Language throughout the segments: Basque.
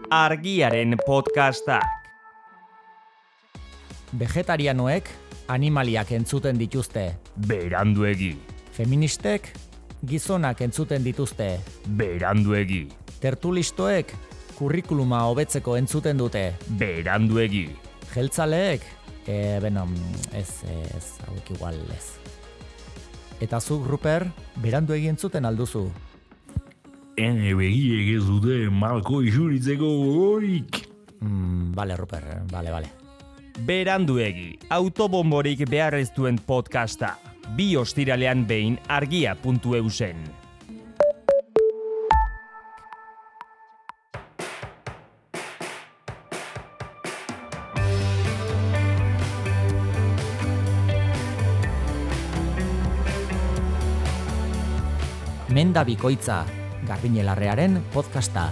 Argiaren podcastak. Vegetarianoek animaliak entzuten dituzte. Beranduegi. Feministek gizonak entzuten dituzte. Beranduegi. Tertulistoek kurrikuluma hobetzeko entzuten dute. Beranduegi. Jeltzaleek, ez, hauek igual ez. Eta zuk, Ruper, beranduegi entzuten alduzu. Ene begiek ez dute malko isuritzeko gogorik. Bale, Ruper, bale. Beranduegi, autobomborik behar ez duen podcasta. 2 ostiralean behin argia.eusen. Menda bikoitza, Garbiñelarrearen podcasta.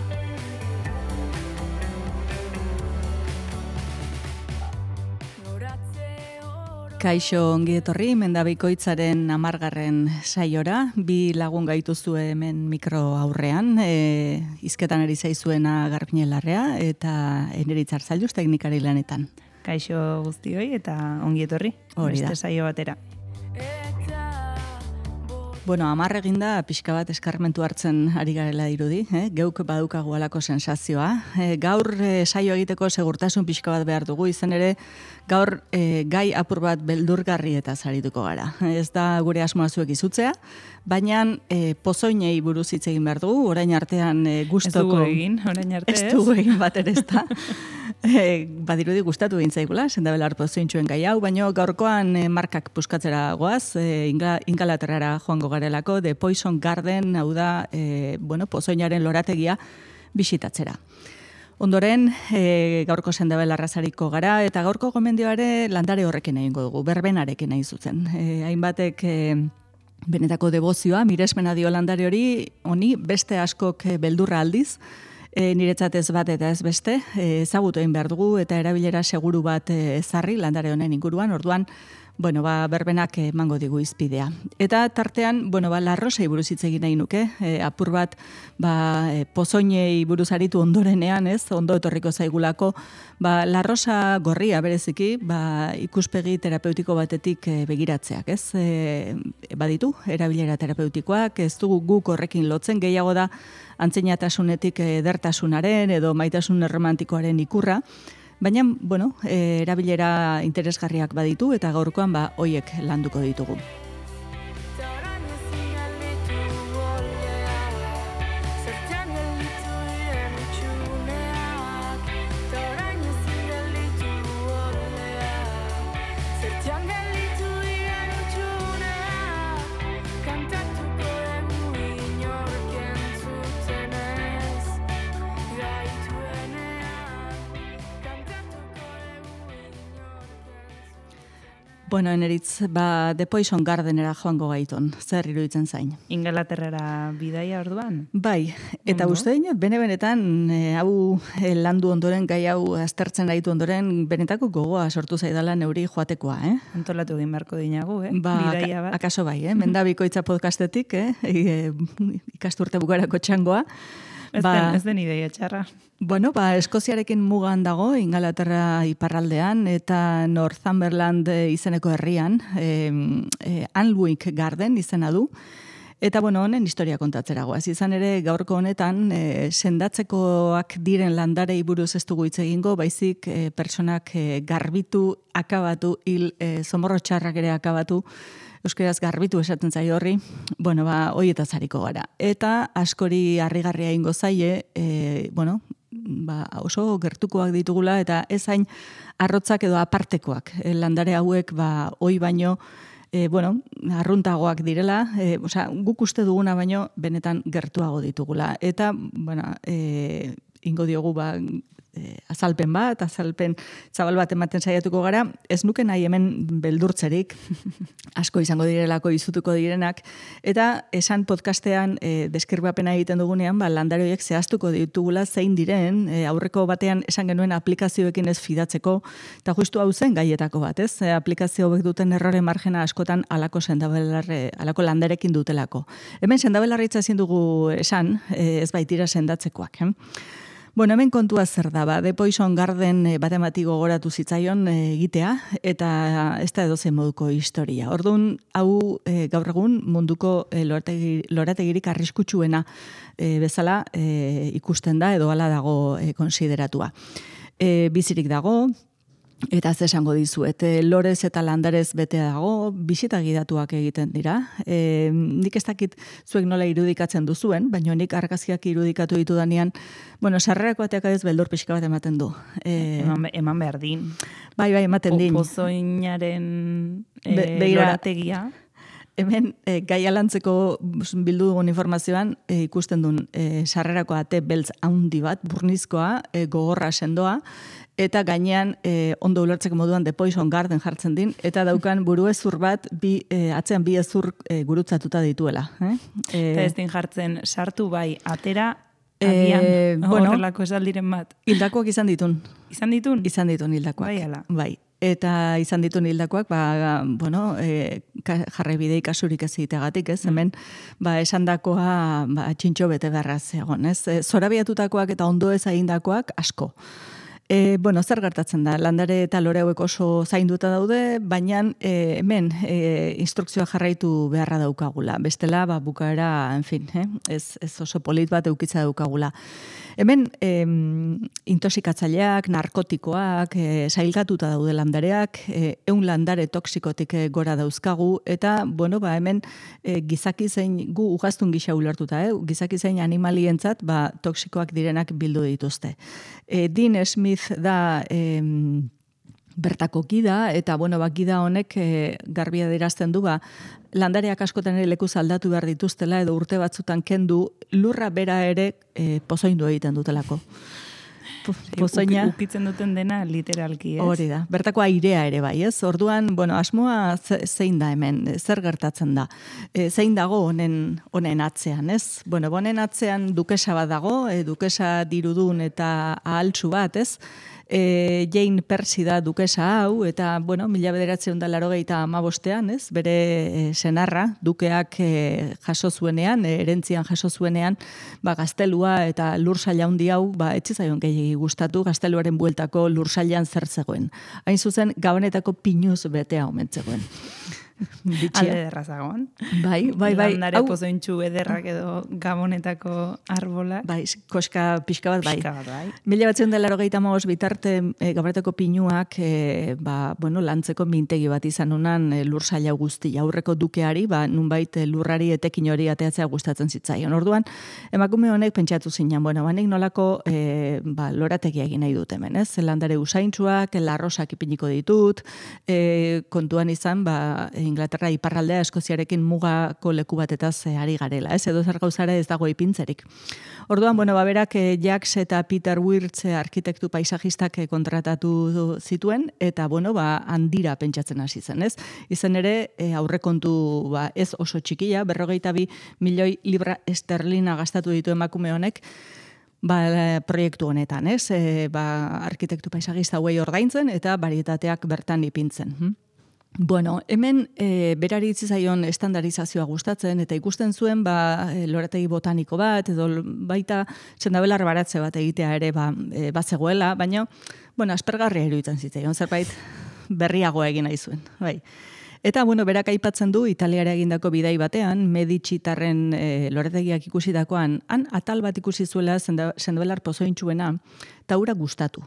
Kaixo ongi etorri Menda bikoitzaren 10. saiora, 2 lagun gaituzue hemen mikro aurrean, hizketan ari zaizuena Garbiñelarrea eta Eneritz Arzailuz teknikari lanetan. Kaixo guztioi eta ongi etorri, beste saio batera. Bueno, 10 eginda pixka bat eskarmentu hartzen ari garela dirudi, geuk badukagu halako sensazioa. Gaur saio egiteko segurtasun pixka bat behar dugu, izan ere gaur gai apur bat beldurgarri eta zarituko gara. Ez da gure asmoa zuek izutzea, baina pozoinei buruz hitz egin behar dugu, orain artean gustoko... Ez dugu egin, orain arte ez? Ez dugu egin bat ere ez da. Badirudi gustatu egin zaigula, sendabelar pozointxuen gai hau, baina gaurkoan markak puskatzera goaz, Ingalaterrara joango garelako, The Poison Garden, hau da, pozoinaren lorategia bisitatzera. Ondoren, gaurko sendabelarra zariko gara, eta gaurko gomendioare landare horrekin egingo dugu, berbenarekin nahi zuzen. Hainbatek benetako debozioa, miresmena dio landare honi beste askok beldurra aldiz, niretzat ez bat eta ez beste, ezagutu egin behar dugu eta erabilera seguru bat ezarri landare honen inguruan, orduan, berbenak emango digu izpidea. Eta tartean, larrosei buruz hitz egin nahi nuke, apur bat, pozoinei buruz aritu ondorenean, ondo etorriko zaigulako, larrosa gorria bereziki, ikuspegi terapeutiko batetik begiratzeak, ez? Baditu, erabilera terapeutikoak, ez dugu guk horrekin lotzen, gehiago da antzinatasunetik edertasunaren edo maitasun erromantikoaren ikurra, baina, erabilera interesgarriak baditu eta gaurkoan hoiek landuko ditugu. Eneritz, The Poison Gardenera joango gaiton, zer iruditzen zain? Ingalaterrara bidaia orduan? Bai, eta uste dinot, bene-benetan, hau landu ondoren, gai hau aztertzen gaitu ondoren, benetako gogoa sortu zaidala neuri joatekoa, Antolatu egin beharko dinagu, bidaia bat. Akaso bai, Menda bikoitza podcastetik, ikasturte bukarako txangoa. Ez den ideia txarra. Eskoziarekin mugan dago, Ingalaterra iparraldean, eta Northumberland izeneko herrian, Alnwick Garden izena du. Eta honen historia kontatzera goaz. Izan ere gaurko honetan, sendatzekoak diren landarei buruz ez dugu hitz egingo, baizik personak garbitu, akabatu, zomorro txarrak ere akabatu, euskeraz garbitu esaten zaio horri, hoietaz hariko gara. Eta askori harrigarria ingo zaie, oso gertukoak ditugula eta ez hain arrotzak edo apartekoak. Landare hauek, hoi baino, arruntagoak direla, guk uste duguna baino benetan gertuago ditugula. Eta, ingo diogu azalpen zabal bat ematen saiatuko gara, ez nuke nahi hemen beldurtzerik, asko izango direlako izutuko direnak, eta esan podcastean deskribapena egiten dugunean, landare horiek zehaztuko ditugula zein diren, aurreko batean esan genuen aplikazioekin ez fidatzeko, eta justu hau zen gaietako bat, ez? Aplikazio hauek duten errore margena askotan alako landarekin dutelako. Hemen sendabelarritza ezin dugu esan, ez baitira sendatzekoak, Bueno, hemen kontua zer da, The Poison Garden batemati gogoratu zitzaion egitea, eta ez da edozein moduko historia. Orduan, hau gaur egun munduko lorategirik arriskutsuena bezala ikusten da, edo hala dago konsideratua. Bizirik dago, eta ez esango dizuet, lorez eta landarez bete dago, bisita gidatuak egiten dira. Nik ez dakit zuek nola irudikatzen duzuen, baina nik argazkiak irudikatu ditudanean, bueno, sarrerako ateak ez beldur pixka bat ematen du. Eman behar din. Bai, ematen din. Pozoinaren lorategia. Hemen, gai alantzeko bildu dugun informazioan, ikusten duen sarrerako ate beltz haundi bat, burnizkoa, gogorra sendoa, eta gainean ondo ulertzeko moduan The Poison Garden jartzen din, eta daukan buruezur bat, atzean bi ezur gurutzatuta dituela. Eta ez din jartzen, sartu bai, atera, agian, horrelako esaldiren bat. Hildakoak izan ditun. Izan ditun? Izan ditun hildakoak. Bai, ala. Bai. Eta izan ditun hildakoak, jarraibidei kasurik ez egiteagatik, ez? Hemen, esandakoa txintxo bete beharraz egon, ez? Zorabiatutakoak eta ondo ez egindakoak asko. Zer gertatzen da? Landare eta lore hauek oso zainduta daude, baina hemen instrukzioa jarraitu beharra daukagula. Bestela, bukaera, en fin, ez oso polit bat eukitza daukagula. Hemen, intoxikatzaileak, narkotikoak, sailkatuta daude landareak, 100 landare toksikotik gora dauzkagu, eta, hemen gizaki zein, gu ugaztun gisa ulertuta, gizaki zein animalientzat, toksikoak direnak bildu dituzte. Dean Smith da bertako gida, eta, gida honek garbia dirazten du, landareak askotan ere lekuz aldatu behar dituztela, edo urte batzutan kendu, lurra bera ere pozoindu egiten dutelako. Pozoina. Ukitzen duten dena literalki, ez? Hori da, bertako airea ere bai, ez? Orduan, asmoa zein da hemen, zer gertatzen da? Zein dago honen atzean, ez? Honen atzean dukesa bat dago, dukesa dirudun eta ahaltsu bat, ez? Jane Percy da dukesa hau, eta, 1985, ez? Bere senarra, dukeak jaso zuenean, erentzian jaso zuenean, gaztelua eta lursaila handi hau, etxizaion gehiagi gustatu, gazteluaren bueltako lursailan zer zegoen. Hain zuzen, gabonetako pinuz betea omentzegoen. Alde derrazagoan. Bai. Landare pozointxu ederrak edo gabonetako arbolak. Bai, koska pixka bat bai. 1985 bitarte gabonetako pinuak lantzeko mintegi bat izan unan lursaila guztia. Aurreko dukeari, nunbait lurrari etekin hori ateatzea gustatzen zitzaion. Orduan, emakume honek pentsatu zinan, nik nolako lorategia egin nahi dut hemen, ez? Landare usaintxuak, larrosak ipiniko ditut, kontuan izan, Inglaterra iparraldea Eskoziarekin mugako leku batetaz ari garela, ez? Edo zer gauzara ez dago ipintzerik. Orduan, berak Jacques eta Peter Wirtz arkitektu paisajistak kontratatu zituen, eta, handira pentsatzen hasi zen, ez? Izan ere, aurrekontu ez oso txikia, 42 milioi libra esterlina gastatu ditu emakume honek, proiektu honetan, ez? Arkitektu paisajista hauei ordaintzen, eta barietateak bertan ipintzen. Hemen berari itzizaion estandarizazioa gustatzen, eta ikusten zuen lorategi botaniko bat, edo baita sendabelar baratze bat egitea ere bazegoela, baina, aspergarria iruditzen zitzaion, zerbait berriagoa egin nahi zuen. Bai. Eta, berak aipatzen du, Italiara egindako bidai batean, Medicitarren lorategiak ikusitakoan, han atal bat ikusi zuela sendabelar pozointxuena, eta hura gustatu.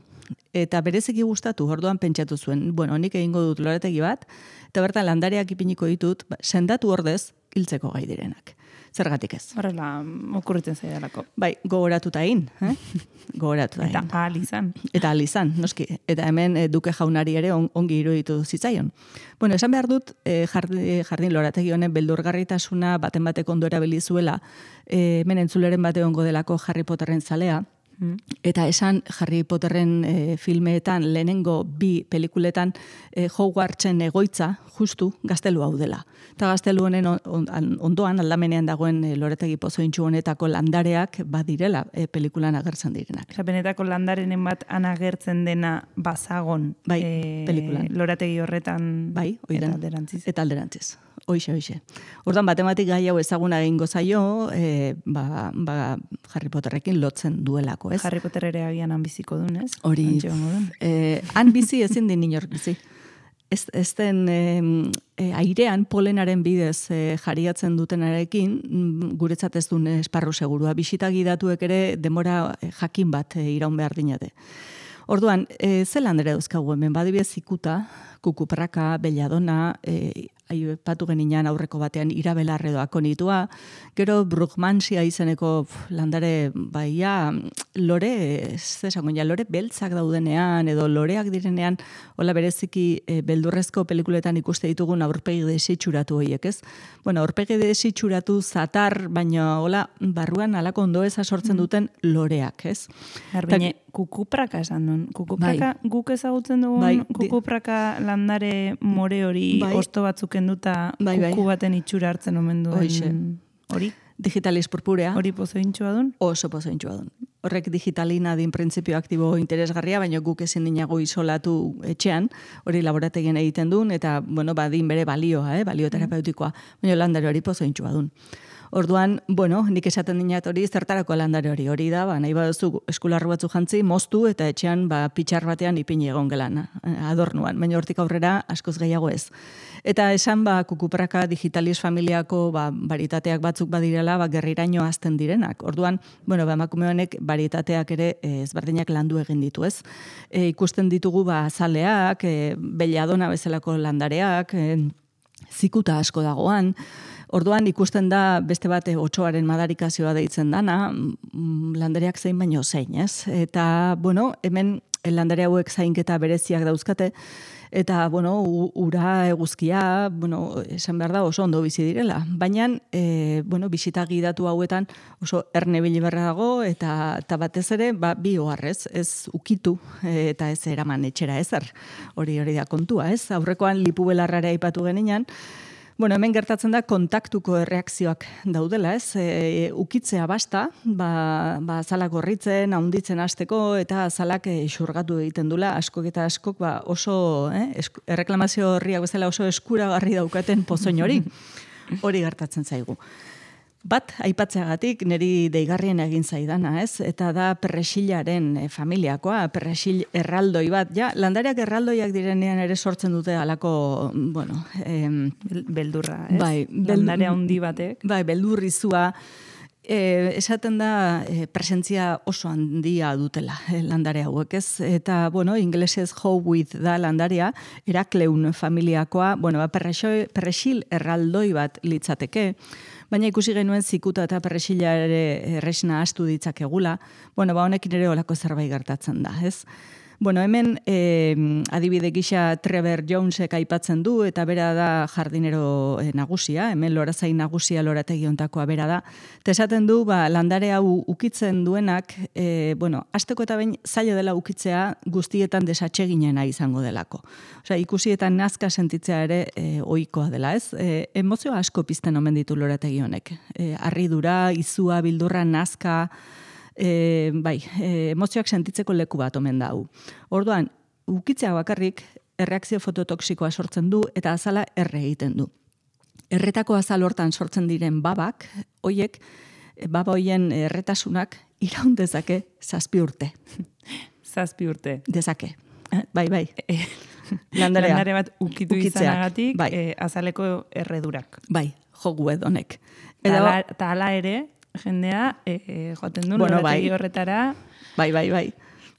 Eta bereziki gustatu, orduan pentsatu zuen, nik egingo dut lorategi bat, eta bertan landareak ipiniko ditut, sendatu ordez, hiltzeko gai direnak. Zergatik ez? Horrela, okurritzen zaidalako. Bai, gogoratuta egin. Gogoratuta egin. Eta ahal izan. Eta ahal izan, noski. Eta hemen duke jaunari ere ongi iruditu zitzaion. Esan behar dut, jardin lorategi honen beldurgarritasuna baten bateko ondo erabilizuela, hemen entzuleren bate ongo delako Harry Potterren zalea, eta esan Harry Potterren filmeetan, lehenengo 2 pelikuletan Hogwartsen egoitza, justu, gaztelu hau dela. Eta gaztelu honen ondoan, aldamenean dagoen lorategi pozointxu honetako landareak badirela pelikulan agertzen direnak. Benetako landarenen bat anagertzen dena bazagon pelikulan. Lorategi horretan eta alderantziz. Hoixe. Orduan, matematik gai hau ezaguna egingo zaio, Harry Potterrekin lotzen duelako, ez? Harry Potter ere agian han biziko duen, ez? Hori, han bizi ezin din inork bizi. Ez den airean polenaren bidez jariatzen dutenarekin, guretzat ez duen esparru segurua. Bisita gidatuek ere demora jakin bat iraun behar dinate. Orduan, zelan ere dauzkagu hemen, badibidez ikuta, kukupraka, belladona, aipatu geninan aurreko batean irabelarredoak onitua, gero Brugmansia izeneko landare lore beltzak daudenean, edo loreak direnean, hola bereziki beldurrezko pelikuletan ikuste ditugun aurpegi desitxuratu horiek, ez? Bueno, aurpegi desitxuratu zatar, baina hola barruan alako ondoeza sortzen duten loreak, ez? Garbine, kukupraka esan duen. Kukupraka guk ezagutzen dugun, kukupraka landare more hori osto batzuk enduta kuku baten itxura hartzen omen duen hori. Digitalis purpurea. Hori pozointxua duen? Oso pozointxua duen. Horrek digitalina din printzipio aktibo interesgarria, baina guk ezin dinago isolatu etxean, hori laborategien egiten duen, eta, bueno, badin bere balioa, balio terapeutikoa, baina landare hori pozointxua duen. Orduan, bueno, nik esaten dinat hori, zertarako landare hori da, nahi baduzu eskularru batzu jantzi, moztu eta etxean pitxar batean ipini egon gelan, adornuan, baina hortik aurrera askoz gehiago ez. Eta esan kukupraka digitalis familiako baritateak batzuk badirela gerriraino azten direnak. Orduan, bueno, emakume honek baritateak ere ezberdinak landu egin ditu, ez? Ikusten ditugu azaleak, belladona bezalako landareak, zikuta asko dagoan. Orduan ikusten da beste bat otsoaren madarikazioa deitzen dana, landareak zein baino zein, ez? Eta, bueno, hemen landare hauek zainketa bereziak dauzkate, eta, bueno, ura eguzkia, bueno, esan behar da oso ondo bizi direla. Baina, bueno, bisita gidatu hauetan oso erne biliberra dago, eta batez ere, bi oharrez, ez ukitu, eta ez eraman etxera ezer. Hori da kontua, ez? Aurrekoan lipu belarrara aipatu geninan, bueno, hemen gertatzen da kontaktuko erreakzioak daudela, ez? Ukitzea basta, azalak gorritzen, haunditzen hasteko, eta azalak xurgatu egiten dula, askok eta askok oso, erreklamazio horriak bezala oso eskuragarri daukaten pozoin hori gertatzen zaigu. Bat, aipatzeagatik, niri deigarrien egin zaidana, ez? Eta da perresilaren familiakoa, perresil erraldoi bat. Ja, landareak erraldoiak direnean ere sortzen dute alako, bueno... beldurra, ez? Bai, landare handi batek. Bai, beldurrizua. Esaten da presentzia oso handia dutela landare hauek, ez? Eta, bueno, inglesez Howitt da landarea, Herakleun familiakoa, bueno, perresil erraldoi bat litzateke, baina ikusi genuen zikuta eta perresila ere erresna astu ditzakegula, bueno, honekin ere olako zerbait gertatzen da, ez? Bueno, hemen adibide gisa Trevor Jonesek aipatzen du, eta bera da jardinero nagusia, hemen lorazain nagusia lorategi hontakoa bera da. Eta esaten du, landare hau ukitzen duenak, bueno, hasteko eta behin zaila dela ukitzea guztietan desatseginena izango delako. Osea, ikusi eta nazka sentitzea ere ohikoa dela, ez? Emozio asko pizten omen ditu lorategi honek. Harridura, izua, bildurra, nazka... emozioak sentitzeko leku bat omen da hau. Orduan, ukitzea bakarrik erreakzio fototoksikoa sortzen du eta azala erre egiten du. Erretako azal hortan sortzen diren babak, baba hoien erretasunak iraun dezake 7 urte. 7 urte. Dezake. Bai. Landare bat ukitu izanagatik, azaleko erredurak. Bai, jogu edonek. Eta ala ere... jendea joaten du lorategi horretara. Bai.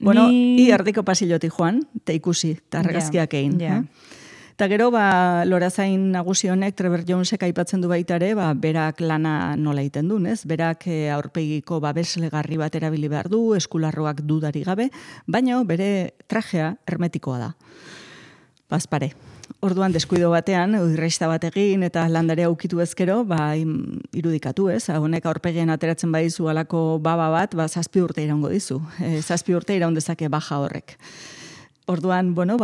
Bueno, erdiko pasillotik joan, te ikusi, eta argazkiak egin. Eta gero, lorazain nagusi honek, Trevor Jonesek aipatzen du baita ere, berak lana nola egiten duen, ez? Berak aurpegiko babeslegarri bat erabili behar du, eskularroak dudari gabe, baina bere trajea hermetikoa da. Bazpare. Orduan deskuido batean, irraista bat egin eta landarea ukitu ezkero, irudikatu, ez? Honek aurpegien ateratzen badizu alako baba bat, 7 urte iraungo dizu. 7 urte iraun dezake baja horrek. Orduan, bueno,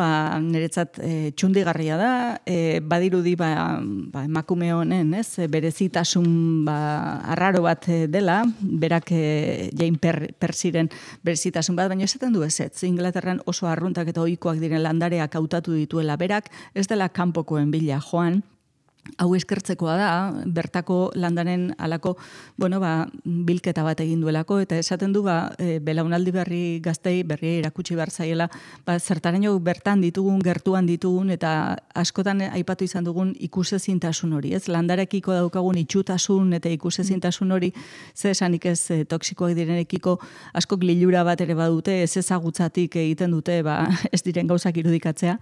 niretzat txundigarria da, badirudi emakume honen, ez? Berezitasun arraro bat dela, berak Jane Persiren berezitasun bat, baina esaten du ez. Inglaterran oso arruntak eta ohikoak diren landareak hautatu dituela berak, ez dela kanpokoen bila joan, hau eskertzekoa da, bertako landaren alako, bilketa bat egin duelako, eta esaten du, belaunaldi berri gaztei berri erakutsi behar zaiela, zertaraino bertan ditugun, gertuan ditugun, eta askotan aipatu izan dugun ikusezintasun hori, ez? Landarekiko daukagun itxutasun eta ikusezintasun hori, ze esanik ez toksikoak direnekiko askok lilura bat ere badute, ez ezagutzatik egiten dute, ez diren gauzak irudikatzea,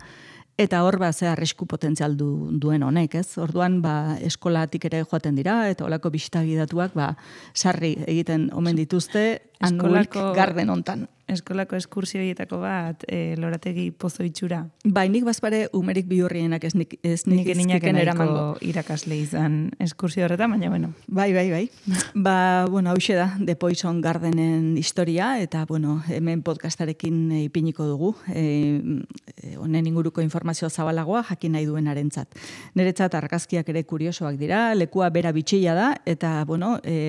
eta hor ze arrisku potentzial duen honek, ez? Orduan eskolatik ere joaten dira eta holako bisita gidatuak sarri egiten omen dituzte Anuik Garden hontan. Eskolako eskursio horietako bat, lorategi pozo itxura. Nik bazpare umerik bihurrienak ez nik izkiken eramango irakasle izan eskursio horretan, baina bueno. Bai. Hauxe da, The Poison Gardenen historia, eta hemen podcastarekin ipiniko dugu. Honen inguruko informazio zabalagoa jakin nahi duenarentzat. Niretzat argazkiak ere kuriosoak dira, lekua bera bitxilla da, eta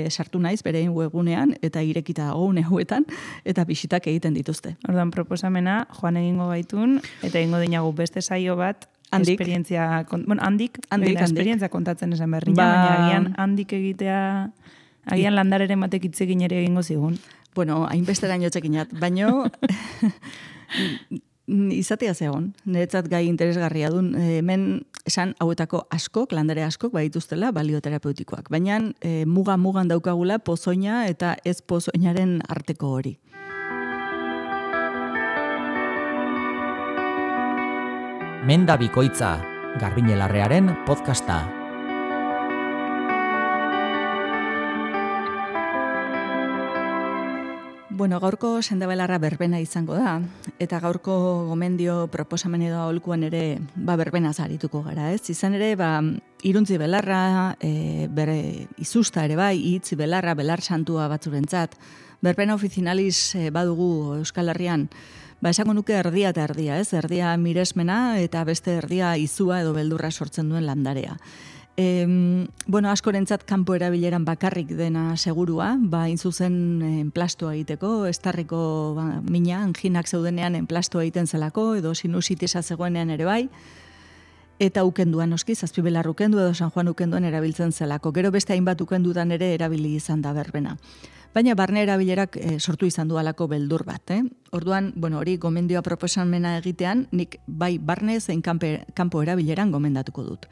sartu naiz berein webgunean, eta irekita une hauetan, eta bisitak egiten dituzte. Ordan proposamena, joan egingo gaitun, eta egingo dinagu beste saio bat, esperientzia, handik esperientzia kontatzen esan berri, baina agian handik egitea, agian landareren batek itzegin ere egingo zigun. Hainbesteraino txekinat, baino izatea zegoen, niretzat gai interesgarria dun, hemen esan hauetako askok, landare askok badituztela balioterapeutikoak, baina mugan daukagula pozoina eta ez pozoinaren arteko hori. Menda Bikoitza, Garbiñelarrearen podcasta. Gaurko sendabelarra berbena izango da, eta gaurko gomendio proposamen edo aholkuan ere berbena zarituko gara, ez? Izan ere, iruntzi belarra, bere izusta ere hitzi belarra, belar santua batzurentzat, berbena ofizinaliz badugu Euskal Herrian, esango nuke erdia eta erdia, ez? Erdia miresmena eta beste erdia izua edo beldurra sortzen duen landarea. Askorentzat kanpo erabileran bakarrik dena segurua, inzuzen enplastoa egiteko, estarriko mina, anginak zeudenean enplastoa egiten zelako, edo sinusitisa zegoenean ere bai, eta ukenduan noski, Zazpibelar ukendu edo San Juan ukenduan erabiltzen zelako. Gero beste hainbat ukendudan ere erabili izan da berbena. Baina barne erabilerak sortu izan du alako beldur bat. Orduan, hori gomendioa proposamena egitean, nik bai barne zein kanpo erabileran gomendatuko dut.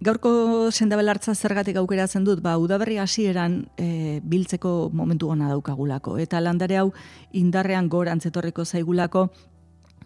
Gaurko sendabelartza zergatik aukeratzen dut, udaberri hasieran biltzeko momentu ona daukagulako. Eta landare hau indarrean gorantz etorriko zaigulako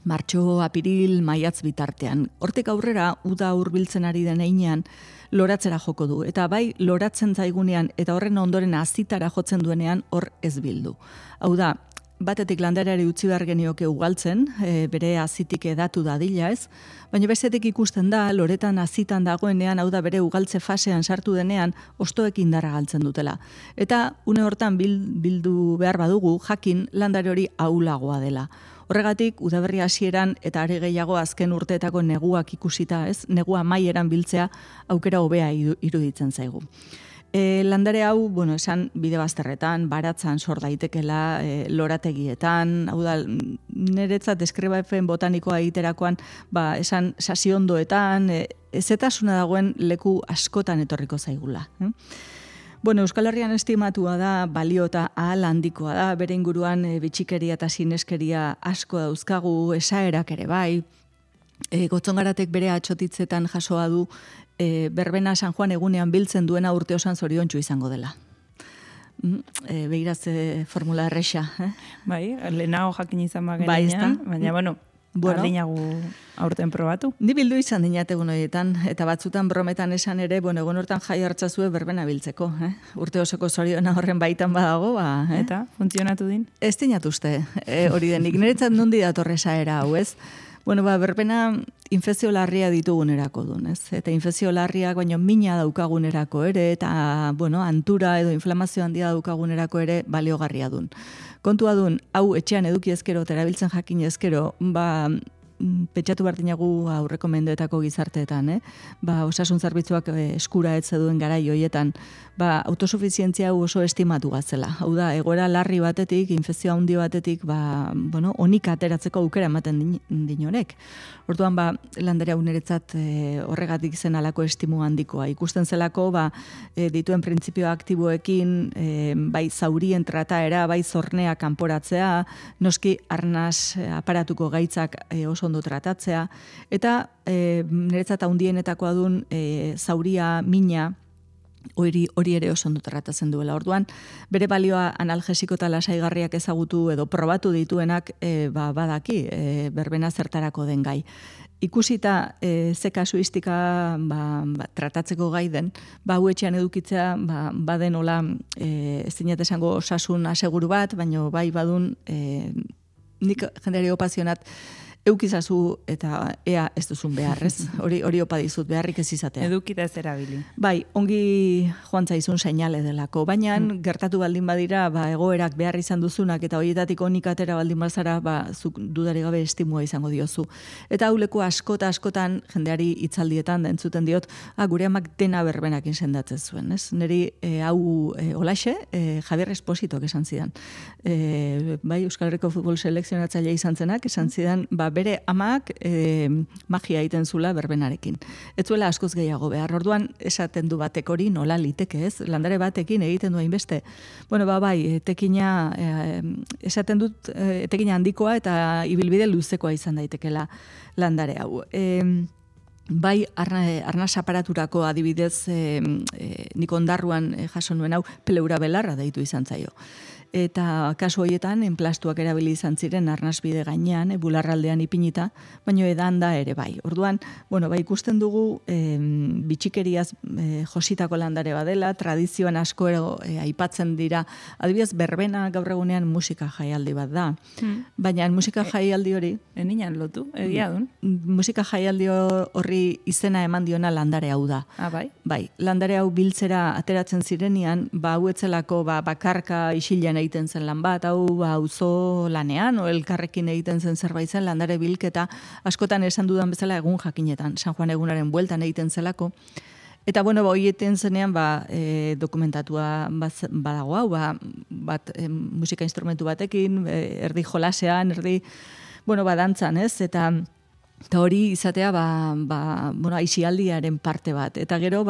martxo, apiril, maiatz bitartean. Hortik aurrera, uda hurbiltzen ari den heinean, loratzera joko du. Eta bai, loratzen zaigunean eta horren ondoren azitara jotzen duenean hor ez bildu. Hau da, batetik landareari utzi behar genioke ugaltzen, bere azitik edatu dadila ez, baina bestetik ikusten da, loretan azitan dagoenean, hau da bere ugaltze fasean sartu denean, ostoek indarra galtzen dutela. Eta une hortan bildu behar badugu, jakin landare hori ahulagoa dela. Horregatik, udaberri hasieran eta are gehiago azken urteetako neguak ikusita ez, negua maieran biltzea aukera hobea iruditzen zaigu. Landare hau, esan bide bazterretan, baratzan sor daitekela, lorategietan, hau da, niretzat deskribapen botanikoa egiterakoan, esan sasiondoetan, ezetasuna dagoen leku askotan etorriko zaigula. Euskal Herrian estimatua da, balio eta ahal handikoa da, bere inguruan bitxikeria eta sineskeria asko dauzkagu, esaerak ere bai, Gotzongaratek bere atxotitzetan jasoa du, berbena San Juan egunean biltzen duena urte osan zoriontsu izango dela. Begiraz formula erresa. Bai, lehenago jakin izan bagenean, baina, ardinagu aurten probatu. Ni bildu izan dinat egun horietan, eta batzutan brometan esan ere, egun hortan jai hartzazue berbena biltzeko. Urte osoko zoriona horren baitan badago, Eta, funtzionatu din? Ez dinatuzte, hori denik. Niretzat nondi datorresa era hau, ez? Berbena infekzio larria ditugunerako duen, ez? Eta infekzio larriak baino mina daukagunerako ere, eta, antura edo inflamazio handia daukagunerako ere baliogarria duen. Kontua duen, hau etxean eduki ezkero, terabiltzen jakin ezkero, pentsatu bartinagu aurreko mendeetako gizarteetan, ba, osasun zerbitzuak eskura ez duen garai hoietan, ba, autosufizientzia hau oso estimatu gazela. Hau da, egoera larri batetik, infekzio handi batetik, ba, bueno, onik ateratzeko aukera ematen dinorek. Orduan, ba, landare hau niretzat horregatik zen alako estimu handikoa. Ikusten zelako, ba, dituen printzipio aktiboekin, bai zaurien trataera, bai zornea kanporatzea, noski arnaz aparatuko gaitzak oso ondo tratatzea, eta niretzat handienetakoa dun zauria, mina, hori ere oso ondo tratatzen duela. Orduan, bere balioa analgesiko eta lasaigarriak ezagutu edo probatu dituenak badaki berbena zertarako den gai. Ikusita ze kasuistika tratatzeko gai den, hauetxean edukitzea baden hola ez dinat esango osasun aseguru bat, baino bai badun nik jendeari opazionat eukizazu eta ea ez duzun beharrez. Hori opa dizut, beharrik ez izatea. Edukita ez erabili. Bai, ongi joan zaizun seinale delako. Baina gertatu baldin badira, egoerak behar izan duzunak eta horietatik onik atera baldin bazara, zuk dudari gabe estimua izango diozu. Eta hauleko askotan jendeari hitzaldietan da entzuten diot, gure amak dena berbenakin sendatzen zuen. Neri hau olaxe, Javier Espositok esan zidan. Bai, Euskal Herriko futbol selekzionatzailea izan zenak, esan zidan, bere amak magia egiten zula berbenarekin. Ez zuela askoz gehiago behar. Orduan esaten du batek hori nola liteke, ez? Landare batekin egiten du hainbeste. Bueno, bai, etekina esaten dut etekina handikoa eta ibilbide luzekoa izan daitekela landare hau. Bai, arnaz aparaturako adibidez nik ondarruan jaso nuen hau peleura belarra deitu izan zaio. Eta kasu horietan, enplastuak erabili izan ziren arnasbide gainean, bularraldean ipinita, baino edan da ere bai. Orduan, bai ikusten dugu bitxikeriaz jositako landare badela, tradizioan asko aipatzen dira, adibidez berbena gaur egunean musika jaialdi bat da. Baina musika jaialdi hori... Eninan lotu, egia dun? Musika jaialdi horri izena eman diona landare hau da. Bai? Bai, landare hau biltzera ateratzen zirenean, hauetzelako bakarka isilean egiten zen lan bat, hau auzo lanean, o elkarrekin egiten zen zerbait zen landare bilketa, askotan esan dudan bezala egun jakinetan, San Juan egunaren bueltan egiten zelako. Eta, egiten zenean, dokumentatua badago hau, musika instrumentu batekin, erdi jolasean, erdi, dantzan, ez? Eta hori izatea, aisialdiaren parte bat. Eta gero,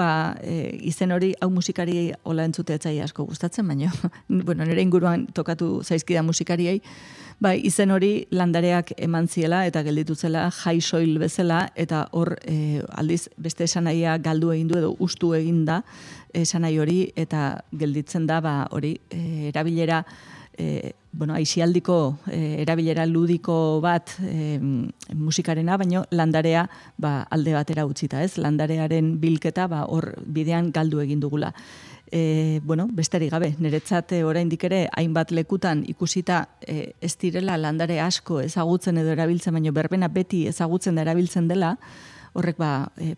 izen hori, hau musikari hola entzute etzai asko gustatzen, baina, nire inguruan tokatu zaizkida musikariei, izen hori landareak eman ziela eta gelditu zela jai soil bezala, eta hor aldiz beste esanahia galdu egin du edo ustu egin da esanai hori, eta gelditzen da hori erabilera aisialdiko erabilera ludiko bat musikarena, baino landarea alde batera utzita, ez? Landarearen bilketa hor bidean galdu egin dugula. Besterik gabe, niretzat oraindik ere hainbat lekutan ikusita ez direla landare asko ezagutzen edo erabiltzen, baino berbena beti ezagutzen da erabiltzen dela, horrek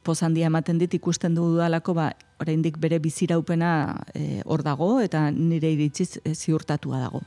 poz handia ematen dit ikusten dudalako oraindik bere biziraupena hor dago eta nire iritziz ziurtatua dago.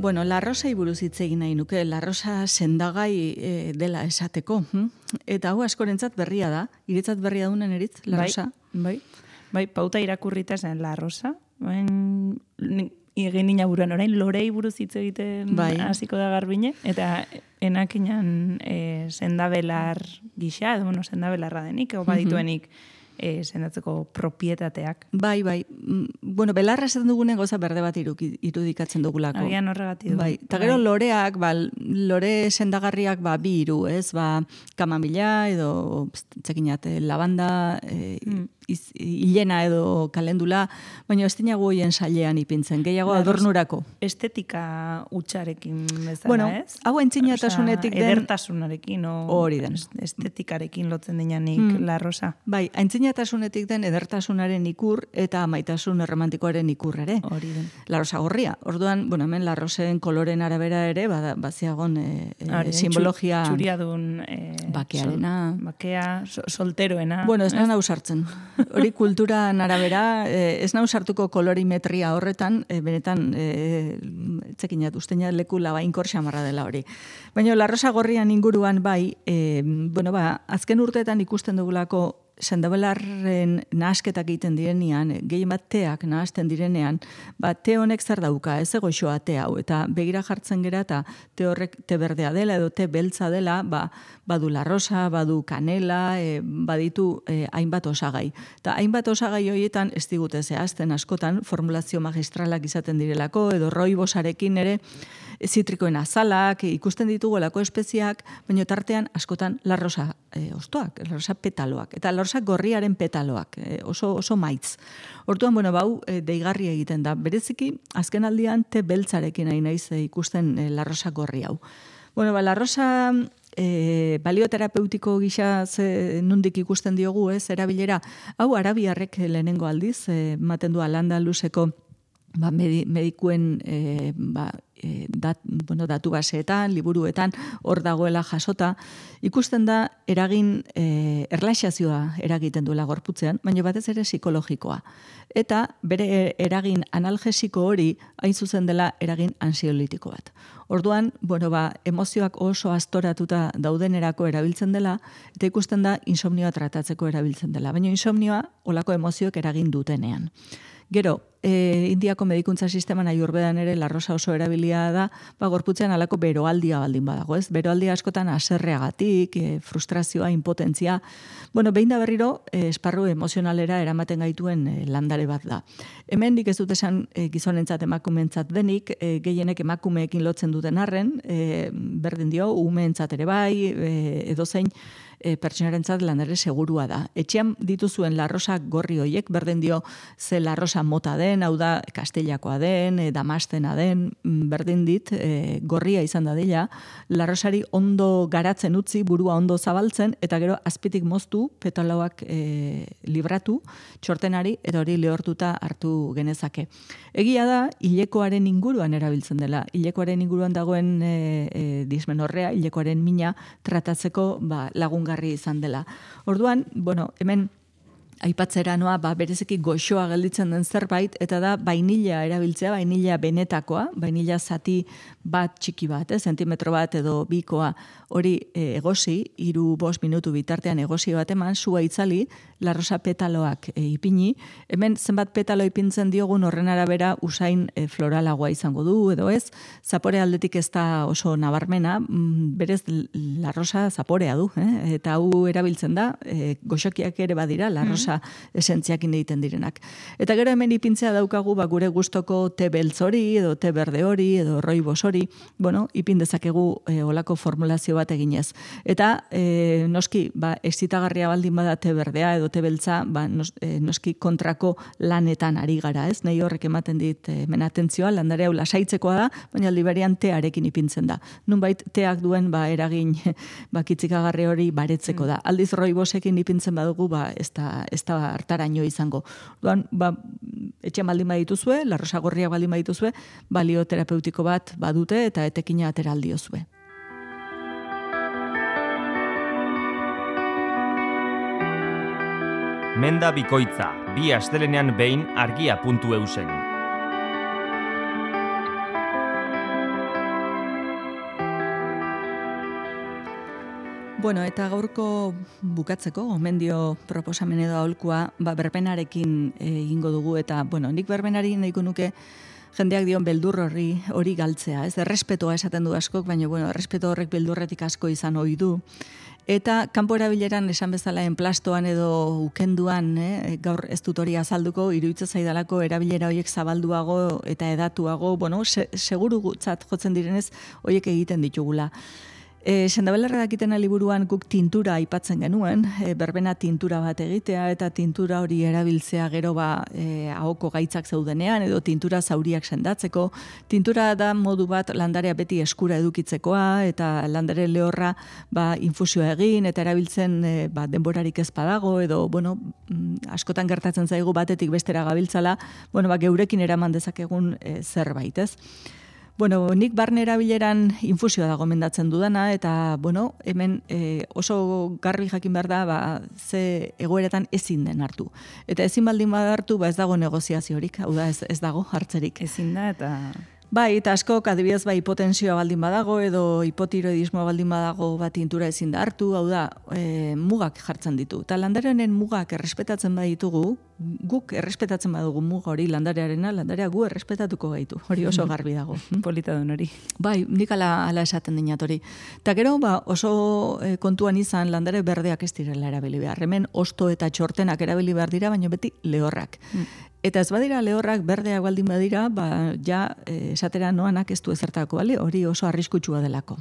La Rosai buruz hitz egin nahi nuke, La Rosa sendagai dela esateko. Eta hau askorentzat berria da, iretzat berria dunen eritz, La Rosa? Bai, pauta irakurrita zen La Rosa. Egin nina buruan, orain lorei buruz hitz egiten hasiko da Garbine, eta enakinan sendabelar gisa, sendabelarra denik, badituenik sendatzeko propietateak. Bai. Belarra esaten dugunen goza berde bat irudikatzen dugulako. Agian horregatik du. Bai. Eta gero loreak, lore sendagarriak bi iru, ez? Kamamila edo, txekinat, lavanda, hilena edo kalendula, baina ez dinago hoien sailean ipintzen, gehiago adornurako. Estetika utxarekin bezala, ez? Hau aintzinatasunetik den... Edertasunarekin, hori den. Estetikarekin lotzen dinanik La Rosa. Bai, aintzinatasunetik xinatasunetik den edertasunaren ikur eta maitasun erromantikoaren ikur ere. Hori den. Larrosa gorria. Orduan, bueno, hemen larrosen koloren arabera ere, baziagon simbologia... Txuriadun... bakearena. Bakea, solteroena. Bueno, ez nau sartzen. Hori kulturan arabera, ez nau sartuko kolorimetria horretan, benetan, txekinat, usteina leku labainkor xamarra dela hori. Baina larrosa gorrian inguruan bai, azken urteetan ikusten dugulako sendabelarren nahasketak egiten direnean, gehien bat teak nahasten direnean, te honek zer dauka, ez egoixoa te hau, eta begira jartzen gera, eta te horrek te berdea dela, edo te beltza dela, badu larrosa, badu kanela, baditu hainbat osagai. Eta hainbat osagai horietan, ez digute zehazten askotan, formulazio magistralak izaten direlako, edo roibosarekin ere, zitrikoen azalak, ikusten ditugolako espeziak, baina tartean askotan larrosa ostoak, larrosa petaloak, eta larrosa gorriaren petaloak, oso maitz. Hortuan, bau, deigarri egiten da. Bereziki, azken aldian, te beltzarekin nahi naiz ikusten larrosa gorri hau. Larrosa balioterapeutiko gisa nundik ikusten diogu, erabilera, hau arabiarrek lehenengo aldiz, ematen du Al-Andaluseko medikuen datu baseetan, liburuetan, hor dagoela jasota, ikusten da erlaxazioa eragiten duela gorputzean, baina batez ere psikologikoa. Eta bere eragin analgesiko hori hain zuzen dela eragin ansiolitiko bat. Orduan, emozioak oso astoratuta daudenerako erabiltzen dela, eta ikusten da insomnioa tratatzeko erabiltzen dela. Baina insomnioa olako emozioek eragin dutenean. Gero, Indiako medikuntza sisteman Ayurvedan ere larrosa oso erabilia da, gorputzean alako beroaldia baldin badago, ez? Beroaldia askotan haserreagatik, frustrazioa, impotentzia. Behin da berriro, esparru emozionalera eramaten gaituen landare bat da. Hemen dik ez dut esan gizonentzat emakumeentzat denik, gehienek emakumeekin lotzen duten arren, berdin dio, umeentzat ere bai, edozein, pertsonarentzat landare segurua da. Etxean dituzuen larrosa gorri hoiek, berdin dio ze larrosa mota den, hau da kastellakoa den, damastena den, berdin dit, gorria izan da dela, larrosari ondo garatzen utzi, burua ondo zabaltzen, eta gero azpitik moztu, petaloak libratu, txortenari, eta hori lehortuta hartu genezake. Egia da, hilekoaren inguruan erabiltzen dela. Hilekoaren inguruan dagoen dismenorrea, hilekoaren mina tratatzeko lagungarri izan dela. Orduan, hemen aipatzera noa, bereziki goxoa gelditzen den zerbait, eta da vainilla erabiltzea, vainilla benetakoa, vainilla zati bat txiki bat, zentimetro bat edo bikoa, hori egosi, 3-5 minutu bitartean egosi bat eman, sua itzali, larrosa petaloak ipini, hemen zenbat petalo ipintzen diogun horren arabera usain floralagoa izango du, edo ez, zapore aldetik ez da oso nabarmena, berez larrosa zaporea du, eta hau erabiltzen da, goxokiak ere badira, larrosa esentziakin egiten direnak. Eta gero hemen ipintzea daukagu gure gustoko te beltz hori, edo te berde hori, edo roibos hori, ipin dezakegu olako formulazio bat eginez. Eta noski, excitagarria baldin bada te berdea edo te beltza, noski kontrako lanetan ari gara, ez? Nei horrek ematen dit hemen atentzioa, landare hau lasaitzekoa da, baina aldi berean tearekin ipintzen da. Nunbait teak duen eragin kitzikagarri hori baretzeko da. Aldiz roibosekin ipintzen badugu, ez da hartaraino izango. Duan, etxean baldin badituzue, larrosa gorriak baldin badituzue, balio terapeutiko bat badute eta etekina atera aldiozue. Menda bikoitza, 2 astelenean behin argia.eusen. Eta gaurko bukatzeko, gomendio proposamen edo aholkua, berbenarekin egingo dugu, eta, nik berbenari nahiko nuke jendeak dion beldur hori galtzea, ez? Errespetoa esaten du askok, baina, errespeto horrek beldurretik asko izan ohi du. Eta kanpo erabileran esan bezala enplastoan edo ukenduan, gaur ez dut hori azalduko, iruditzen zaidalako erabilera horiek zabalduago eta edatuago, seguru gutzat jotzen direnez horiek egiten ditugula. Sendabelarra dakitena liburuan guk tintura aipatzen genuen, berbena tintura bat egitea eta tintura hori erabiltzea gero ahoko gaitzak zeudenean edo tintura zauriak sendatzeko. Tintura da modu bat landarea beti eskura edukitzekoa eta landare lehorra infusioa egin eta erabiltzen denborarik ez badago edo askotan gertatzen zaigu batetik bestera gabiltzala, geurekin eraman dezakegun zerbait, ez? Nik barne erabileran infusioa da gomendatzen dudana, eta, hemen oso garbi jakin behar da, ze egoeretan ezin den hartu. Eta ezin baldin bada hartu, ez dago negoziaziorik, hau da, ez dago hartzerik. Ezin da, eta... Bai, eta askok adibidez hipotensioa baldin badago edo hipotiroidismoa baldin badago tintura ezin da hartu, hau da, mugak jartzen ditu. Eta landarearen mugak errespetatzen baditugu, guk errespetatzen badugu muga hori landarearena, landarea gu errespetatuko gaitu. Hori oso garbi dago. Polita duen hori. Bai, nik ala esaten dinat hori. Eta gero, oso kontuan izan landare berdeak ez direla erabili behar. Hemen osto eta txortenak erabili behar dira, baina beti lehorrak. Eta ez badira lehorrak berdeak baldin badira, esatera noanak ez du ezertako, bale? Hori oso arriskutsua delako.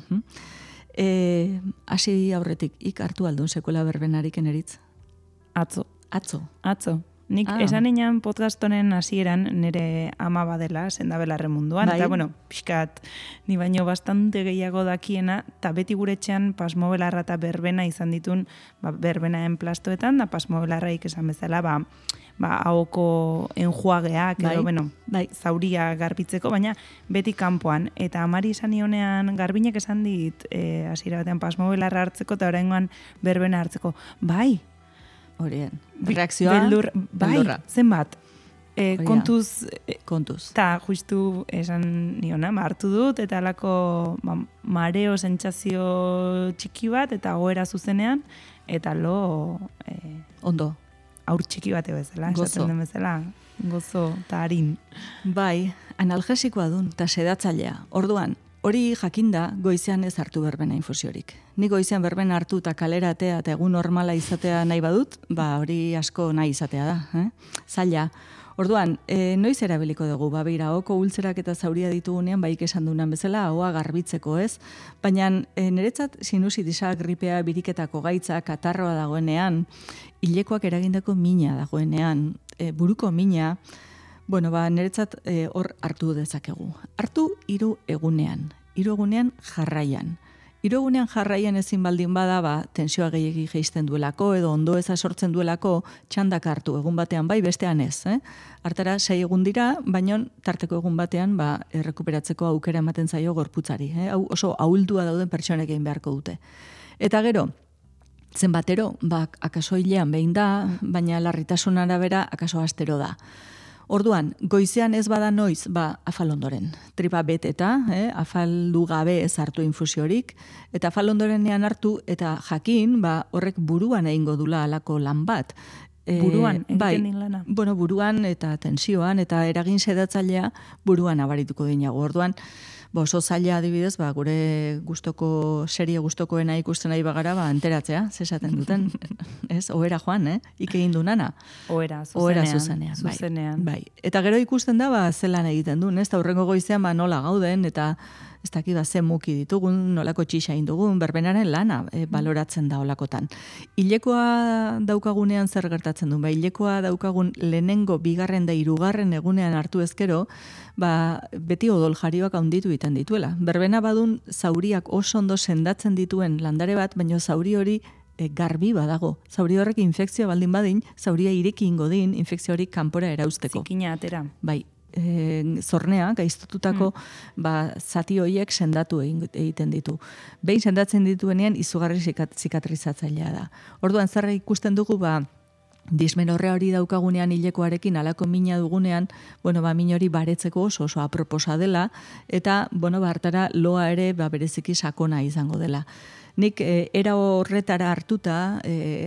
Hasi aurretik, hartu aldun sekuela berbenarik eneritz? Atzo. Nik esan inan podcast honen hasieran nire ama badela, Sendabelarren munduan. Bai. Eta, pixkat, ni baino bastante gehiago dakiena, eta beti gure etxean pasmobelarra eta berbena izan ditun, berbenaen plastoetan, da pasmobelaraik esan bezala, ahoko enjuageak, edo, zauria garbitzeko, baina beti kanpoan. Eta amari esan ionean, garbinek esan dit, hasiera batean pasmobelarra hartzeko, eta oraingoan berbena hartzeko. Bai, horien. Reakzioa, beldurra. Zenbat. Kontuz. Ta justu esan niona, hartu dut, eta alako mareo sentsazio txiki bat, eta goera zuzenean, eta ondo. Aur txiki bate bezala, esaten den bezala. Gozo, eta harin. Bai, analgesikoa dun, eta sedatzailea. Orduan, hori jakinda goizean ez hartu berbena infusiorik. Ni goizean berbena hartu eta kalera atea eta egun normala izatea nahi badut, hori asko nahi izatea da. Zaila. Orduan, noiz erabiliko dugu, beira, ahoko ultzerak eta zauria ditugunean, baik esan dunan bezala, ahoa garbitzeko ez, baina niretzat sinusitisa, gripea, biriketako gaitza, katarroa dagoenean, hilekoak eragindako mina dagoenean, buruko mina, niretzat hor hartu dezakegu. Hartu 3 egunean. 3 egunean jarraian. 3 egunean jarraian ezin baldin bada, tensioa gehiegi jeisten duelako, edo ondo eza sortzen duelako, txandak hartu, egun batean bai, bestean ez. Hartara 6 egun dira, baina tarteko egun batean errekuperatzeko aukera ematen zaio gorputzari. Hau oso ahuldua dauden pertsonek egin beharko dute. Eta gero, zenbatero, akaso hilean behin da, baina larritasun arabera akaso astero da. Orduan, goizean ez bada noiz, afal ondoren. Tripa beteta, afaldu gabe ez hartu infusiorik, eta afal ondorenean hartu, eta jakin, horrek buruan egingo dula alako lan bat. Buruan, egiten din lana? Buruan eta tensioan, eta eragin sedatzailea buruan abarituko dinago. Orduan, oso zaila adibidez, gure serie gustokoena ikusten nahi bagara, enteratzea, zesaten duten, ez? Ohera joan, egin du nana. Ohera, zuzenean. Bai. Eta gero ikusten da, zelan egiten duen, ez? Eta hurrengo goizean, nola gauden, eta ez dakit ze muki ditugun, nolako txixa indugun, berbenaren lana baloratzen da olakotan. Hilekoa daukagunean zer gertatzen duen, hilekoa daukagun lehenengo, bigarren da 3. egunean hartu ezkero, beti odol jarioak handitu egiten dituela. Berbena badun zauriak oso ondo sendatzen dituen landare bat, baina zauri hori garbi badago. Zauri horrek infekzioa baldin badin, zauria ireki ingo din, infekzio hori kanpora erauzteko. Zikina atera. Bai. Zornea, gaiztotutako zati horiek sendatu egiten ditu. Behin sendatzen dituenean izugarri zikatrizatzailea da. Orduan, zer ikusten dugu, dismenorrea hori daukagunean hilekoarekin alako mina dugunean, min hori baretzeko oso aproposa dela, eta, hartara loa ere bereziki sakona izango dela. Nik era horretara hartuta,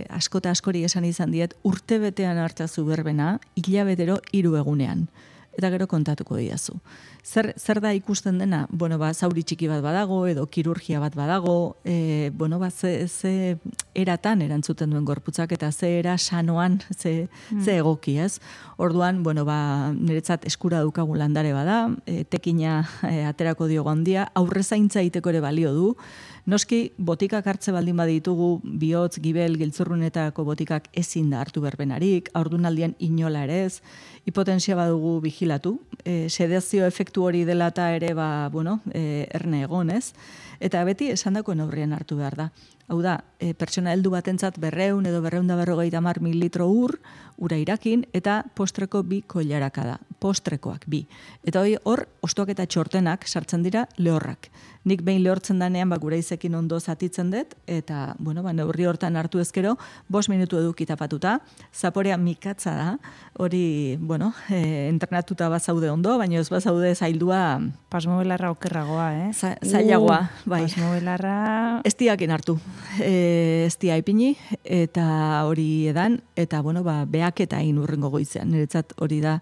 askota askori esan izan diet, urtebetean hartazu berbena, hilabetero 3 egunean. Eta gero kontatuko diazu. Zer da ikusten dena? Zauri txiki bat badago, edo kirurgia bat badago, ze eratan erantzuten duen gorputzak, eta ze era sanoan, ze egoki, ez? Orduan, niretzat eskura daukagun landare bada, tekina aterako diogo handia, aurrezaintza iteko ere balio du, Noski, botikak hartze baldin baditugu, bihotz, gibel, giltzurrunetako botikak ezin da hartu berbenarik, haurdunaldian inola ere ez, hipotensia badugu vigilatu, sedazio efektu hori dela eta ere, erne egon ez, eta beti esandako neurrian hartu behar da. Hau da, pertsona heldu batentzat 200 edo 250 mililitro ura irakin, eta postreko 2 koilaraka da. Postrekoak 2. Eta hor, ostoak eta txortenak sartzen dira lehorrak. Nik behin lehortzen danean, gure izekin ondo zatitzen dut, eta, neurri hortan hartu ezkero, 5 minutu eduki tapatuta, zaporea mikatza da, hori, entrenatuta bazaude ondo, baina ez bazaude zaildua... Pasmobelarra okerragoa, Zailagoa, bai. Pasmobelarra... Ez diakin hartu, ez dia ipini, eta hori edan, eta, beak eta urrengo goizean, niretzat hori da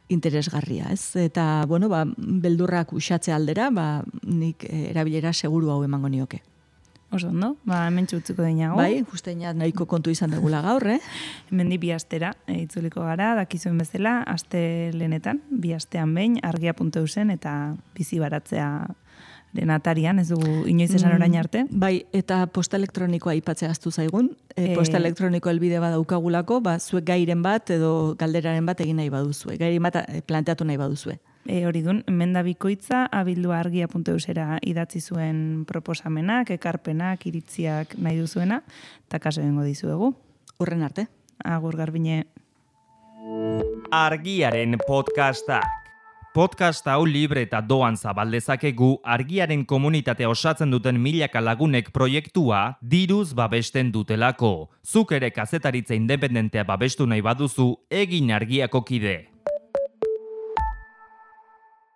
interesgarria, ez? Eta, beldurrak uxatze aldera, nik erabilera seguru hau emango nioke. Oso ondo, hemen txutziko deinago. Bai, justeina nahiko kontu izan degula gaur, Hemen di 2 astera, itzuliko gara, dakizuen bezala, aste lehenetan, 2 astean behin, argia.eusen eta bizi baratzea atarian, ez dugu inoiz esan orain arte. Bai, eta posta elektronikoa aipatzea aztu zaigun. Posta elektroniko helbide badaukagulako, zuek gairen bat edo galderaren bat egin nahi baduzue. Gairen bat planteatu nahi baduzue. Hori dun, Menda Bikoitza, abildua@argia.eusera idatzi zuen proposamenak, ekarpenak, iritziak nahi duzuena, eta kaso egingo dizuegu. Urren arte. Agur Garbine. Argiaren podcasta. Podcast hau libre eta doan zabaldezakegu Argiaren komunitatea osatzen duten milaka lagunek proiektua diruz babesten dutelako. Zuk ere kazetaritza independentea babestu nahi baduzu, egin Argiako kide.